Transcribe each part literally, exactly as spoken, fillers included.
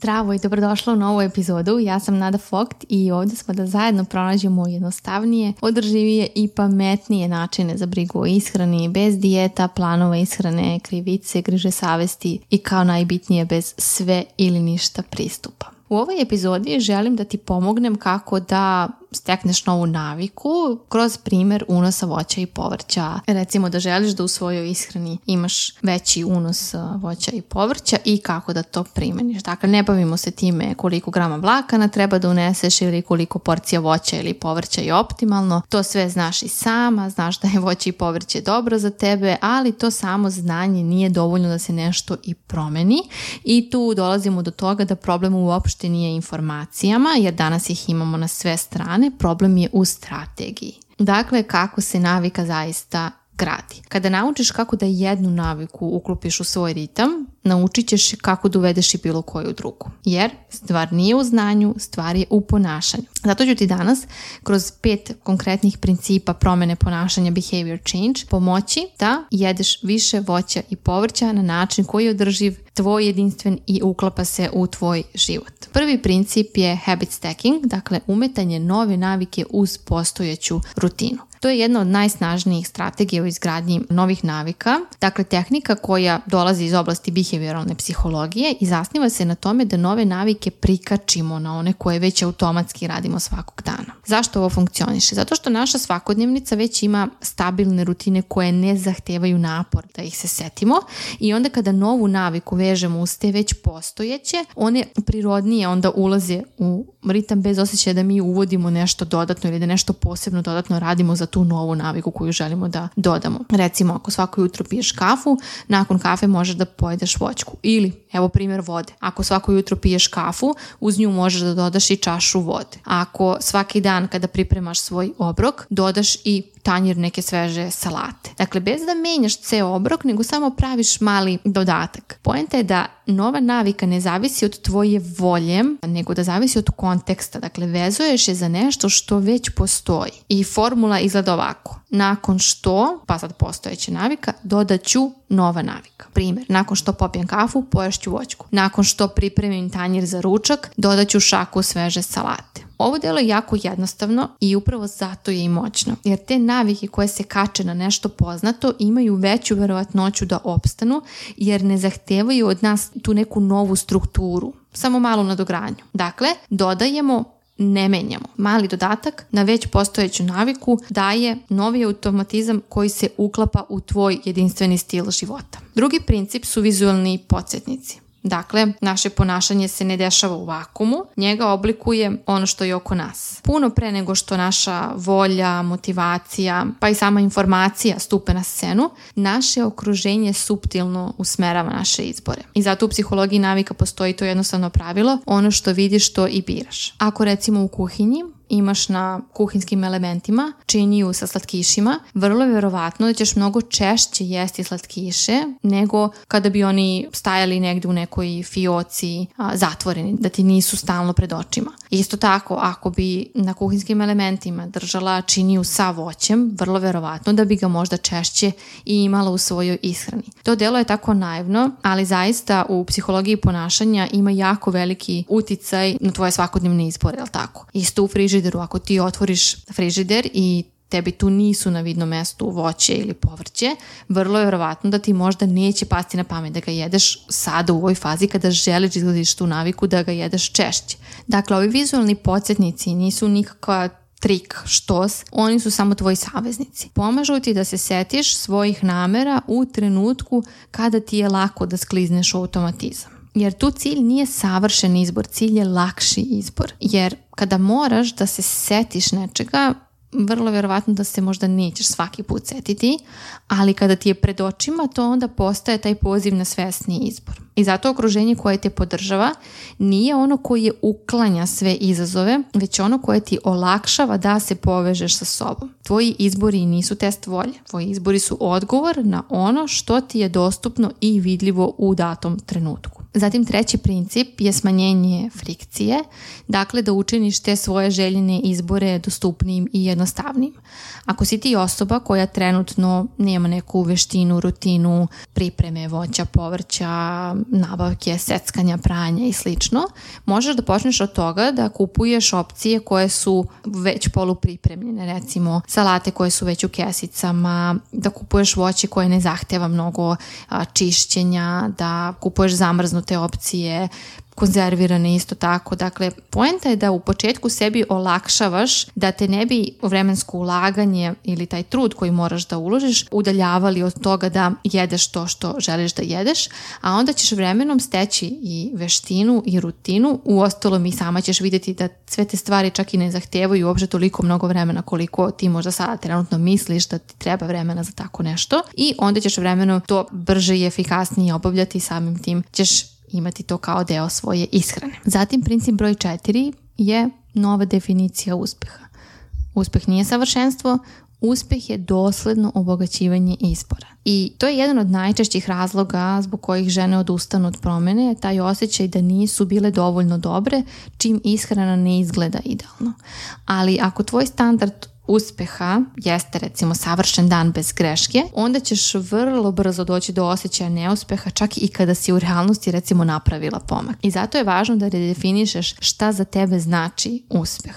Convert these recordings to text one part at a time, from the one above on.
Zdravo i dobrodošla u novu epizodu. Ja sam Nada Vogt i ovdje smo da zajedno pronađemo jednostavnije, održivije i pametnije načine za brigu o ishrani, bez dijeta, planova ishrane, krivice, griže savesti i kao najbitnije bez sve ili ništa pristupa. U ovoj epizodi želim da ti pomognem kako da stekneš novu naviku kroz primjer unosa voća i povrća. Recimo da želiš da u svojoj ishrani imaš veći unos voća i povrća i kako da to primeniš. Dakle, ne bavimo se time koliko grama vlakana treba da uneseš ili koliko porcija voća ili povrća je optimalno. To sve znaš i sama, znaš da je voće i povrće dobro za tebe, ali to samo znanje nije dovoljno da se nešto i promeni i tu dolazimo do toga da problem uopšte nije informacijama, jer danas ih imamo na sve strane. Problem je u strategiji. Dakle, kako se navika zaista gradi. Kada naučiš kako da jednu naviku uklopiš u svoj ritam, naučit ćeš kako da uvedeš i bilo koju drugu. Jer stvar nije u znanju, stvar je u ponašanju. Zato ću ti danas kroz pet konkretnih principa promjene ponašanja behavior change pomoći da jedeš više voća i povrća na način koji je održiv, tvoj jedinstven i uklapa se u tvoj život. Prvi princip je habit stacking, dakle umetanje nove navike uz postojeću rutinu. To je jedna od najsnažnijih strategija u izgradnji novih navika, dakle tehnika koja dolazi iz oblasti behavioralne psihologije i zasniva se na tome da nove navike prikačimo na one koje već automatski radimo svakog dana. Zašto ovo funkcioniše? Zato što naša svakodnevnica već ima stabilne rutine koje ne zahtevaju napor da ih se setimo i onda kada novu naviku vežemo uz te već postojeće, one prirodnije onda ulaze u ritam bez osjećaja da mi uvodimo nešto dodatno ili da nešto posebno dodatno radimo za tu novu naviku koju želimo da dodamo. Recimo, ako svako jutro piješ kafu, nakon kafe možeš da pojedeš voćku. Ili, evo primjer vode. Ako svako jutro piješ kafu, uz nju možeš da dodaš i čašu vode. Ako svaki dan kada pripremaš svoj obrok, dodaš i tanjir neke sveže salate. Dakle, bez da menjaš ceo obrok, nego samo praviš mali dodatak. Poenta je da nova navika ne zavisi od tvoje volje, nego da zavisi od konteksta. Dakle, vezuješ je za nešto što već postoji. I formula izgleda ovako. Nakon što, pa sad postojeća navika, dodat ću nova navika. Primjer, nakon što popijem kafu, poješću voćku. Nakon što pripremim tanjir za ručak, dodat ću šaku sveže salate. Ovo delo je jako jednostavno i upravo zato je i moćno, jer te navike koje se kače na nešto poznato imaju veću verovatnoću da opstanu, jer ne zahtevaju od nas tu neku novu strukturu, samo malu nadogradnju. Dakle, dodajemo, ne menjamo. Mali dodatak na već postojeću naviku daje novi automatizam koji se uklapa u tvoj jedinstveni stil života. Drugi princip su vizualni podsjetnici. Dakle, naše ponašanje se ne dešava u vakumu, njega oblikuje ono što je oko nas. Puno pre nego što naša volja, motivacija, pa i sama informacija stupe na scenu, naše okruženje suptilno usmerava naše izbore. I zato u psihologiji navika postoji to jednostavno pravilo, ono što vidiš to i biraš. Ako recimo u kuhinji imaš na kuhinskim elementima činiju sa slatkišima, vrlo je vjerovatno da ćeš mnogo češće jesti slatkiše nego kada bi oni stajali negdje u nekoj fioci a, zatvoreni, da ti nisu stalno pred očima. Isto tako, ako bi na kuhinskim elementima držala činiju sa voćem, vrlo vjerovatno da bi ga možda češće i imala u svojoj ishrani. To delo je tako naivno, ali zaista u psihologiji ponašanja ima jako veliki uticaj na tvoje svakodnevne izbore, jel tako? Isto u frižideru, ako ti otvoriš frižider i tebi tu nisu na vidnom mestu voće ili povrće, vrlo je vjerovatno da ti možda neće pasti na pamet da ga jedeš sada u ovoj fazi kada želiš izglediš tu naviku da ga jedeš češće. Dakle, ovi vizualni podsjetnici nisu nikakva trik, štos, oni su samo tvoji saveznici. Pomažu ti da se setiš svojih namera u trenutku kada ti je lako da sklizneš u automatizam. Jer tu cilj nije savršen izbor, cilj je lakši izbor. Jer kada moraš da se setiš nečega, vrlo vjerovatno da se možda nećeš svaki put setiti, ali kada ti je pred očima, to onda postaje taj poziv na svesni izbor. I zato okruženje koje te podržava nije ono koje uklanja sve izazove, već ono koje ti olakšava da se povežeš sa sobom. Tvoji izbori nisu test volje. Tvoji izbori su odgovor na ono što ti je dostupno i vidljivo u datom trenutku. Zatim treći princip je smanjenje frikcije, dakle da učiniš te svoje željene izbore dostupnijim i jednostavnim jednostavnijim. Ako si ti osoba koja trenutno nema neku veštinu, rutinu, pripreme voća, povrća, nabavke, seckanja, pranja i slično, možeš da počneš od toga da kupuješ opcije koje su već polupripremljene, recimo salate koje su već u kesicama, da kupuješ voće koje ne zahteva mnogo a, čišćenja, da kupuješ zamrznute opcije, konzervirane isto tako. Dakle, poenta je da u početku sebi olakšavaš da te ne bi vremensko ulaganje ili taj trud koji moraš da uložiš udaljavali od toga da jedeš to što želiš da jedeš, a onda ćeš vremenom steći i veštinu i rutinu. Uostalom i sama ćeš vidjeti da sve te stvari čak i ne zahtevaju uopšte toliko mnogo vremena koliko ti možda sada trenutno misliš da ti treba vremena za tako nešto, i onda ćeš vremenom to brže i efikasnije obavljati i samim tim ćeš imati to kao deo svoje ishrane. Zatim princip broj četiri je nova definicija uspeha. Uspeh nije savršenstvo, uspeh je dosledno obogaćivanje izbora. I to je jedan od najčešćih razloga zbog kojih žene odustanu od promjene, taj osjećaj da nisu bile dovoljno dobre čim ishrana ne izgleda idealno. Ali ako tvoj standard uspeha jeste recimo savršen dan bez greške, onda ćeš vrlo brzo doći do osjećaja neuspeha čak i kada si u realnosti recimo napravila pomak. I zato je važno da redefinišeš šta za tebe znači uspeh.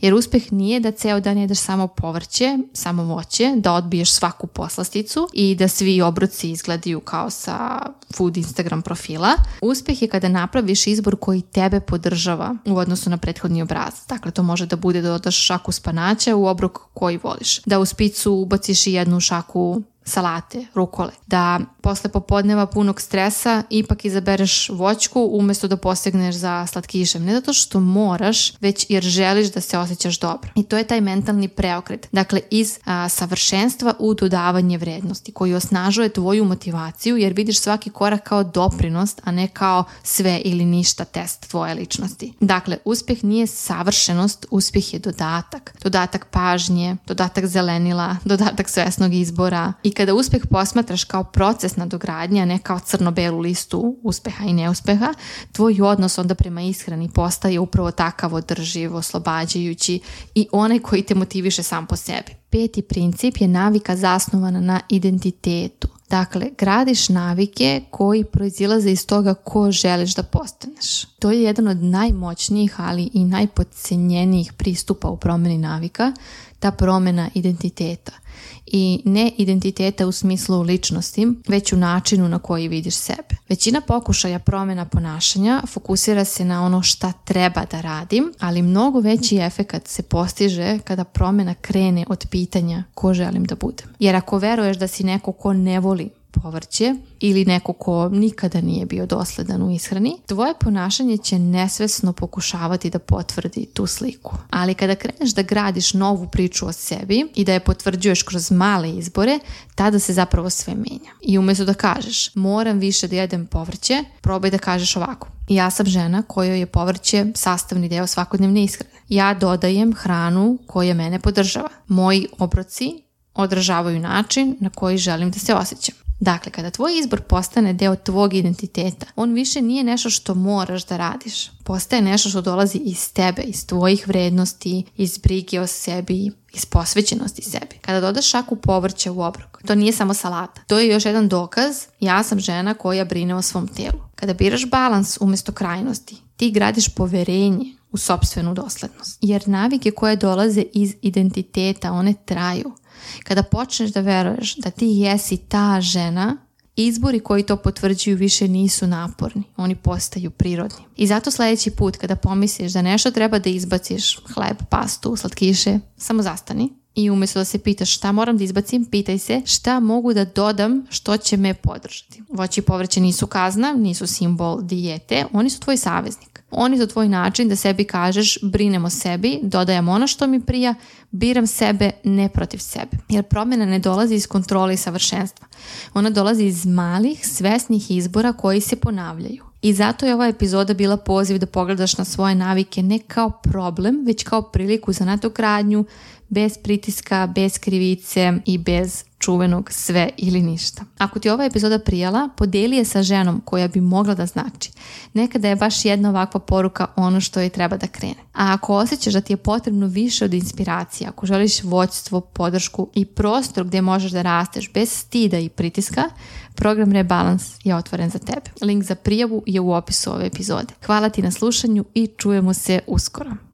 Jer uspeh nije da ceo dan jedeš samo povrće, samo voće, da odbiješ svaku poslasticu i da svi obroci izgledaju kao sa food Instagram profila. Uspeh je kada napraviš izbor koji tebe podržava u odnosu na prethodni obrazac. Dakle, to može da bude da dodaš šaku spanaća u obrok koji voliš, da u spicu ubaciš i jednu šaku salate, rukole, da posle popodneva punog stresa ipak izabereš voćku umjesto da posegneš za slatkišem. Ne zato što moraš, već jer želiš da se osjećaš dobro. I to je taj mentalni preokret. Dakle, iz a, savršenstva u dodavanje vrednosti koji osnažuje tvoju motivaciju jer vidiš svaki korak kao doprinos, a ne kao sve ili ništa test tvoje ličnosti. Dakle, uspjeh nije savršenost, uspjeh je dodatak. Dodatak pažnje, dodatak zelenila, dodatak svesnog izbora. I kada uspjeh posmatraš kao proces nadogradnje, a ne kao crno-belu listu uspeha i neuspeha, tvoj odnos onda prema ishrani postaje upravo takav održiv, oslobađajući i onaj koji te motiviše sam po sebi. Peti princip je navika zasnovana na identitetu. Dakle, gradiš navike koji proizilaze iz toga ko želiš da postaneš. To je jedan od najmoćnijih, ali i najpodcenjenijih pristupa u promjeni navika, ta promjena identiteta. I ne identiteta u smislu ličnosti, već u načinu na koji vidiš sebe. Većina pokušaja promjena ponašanja fokusira se na ono šta treba da radim, ali mnogo veći efekat se postiže kada promjena krene od pitanja ko želim da budem. Jer ako veruješ da si neko ko ne voli povrće ili neko ko nikada nije bio dosledan u ishrani, tvoje ponašanje će nesvesno pokušavati da potvrdi tu sliku. Ali kada kreneš da gradiš novu priču o sebi i da je potvrđuješ kroz male izbore, tada se zapravo sve menja. I umjesto da kažeš moram više da jedem povrće, probaj da kažeš ovako: ja sam žena kojoj je povrće sastavni deo svakodnevne ishrane. Ja dodajem hranu koja mene podržava. Moji obroci odražavaju način na koji želim da se osjećam. Dakle, kada tvoj izbor postane deo tvog identiteta, on više nije nešto što moraš da radiš. Postaje nešto što dolazi iz tebe, iz tvojih vrednosti, iz brige o sebi, iz posvećenosti sebi. Kada dodaš šaku povrća u obrok, to nije samo salata. To je još jedan dokaz: ja sam žena koja brine o svom telu. Kada biraš balans umjesto krajnosti, ti gradiš poverenje u sopstvenu doslednost. Jer navike koje dolaze iz identiteta, one traju. Kada počneš da veruješ da ti jesi ta žena, izbori koji to potvrđuju više nisu naporni, oni postaju prirodni. I zato sljedeći put kada pomisliš da nešto treba da izbaciš, hleb, pastu, slatkiše, samo zastani i umjesto da se pitaš šta moram da izbacim, pitaj se šta mogu da dodam što će me podržati. Voće i povrće nisu kazna, nisu simbol dijete, oni su tvoj saveznik. Oni su tvoj način da sebi kažeš brinem o sebi, dodajem ono što mi prija, biram sebe ne protiv sebe. Jer promjena ne dolazi iz kontrole i savršenstva. Ona dolazi iz malih, svesnih izbora koji se ponavljaju. I zato je ova epizoda bila poziv da pogledaš na svoje navike ne kao problem, već kao priliku za nadogradnju, bez pritiska, bez krivice i bez čuvenog sve ili ništa. Ako ti ova epizoda prijala, podijeli je sa ženom koja bi mogla da znači. Nekada je baš jedna ovakva poruka ono što joj treba da krene. A ako osjećaš da ti je potrebno više od inspiracije, ako želiš vođstvo, podršku i prostor gdje možeš da rasteš bez stida i pritiska, program Rebalans je otvoren za tebe. Link za prijavu je u opisu ove epizode. Hvala ti na slušanju i čujemo se uskoro.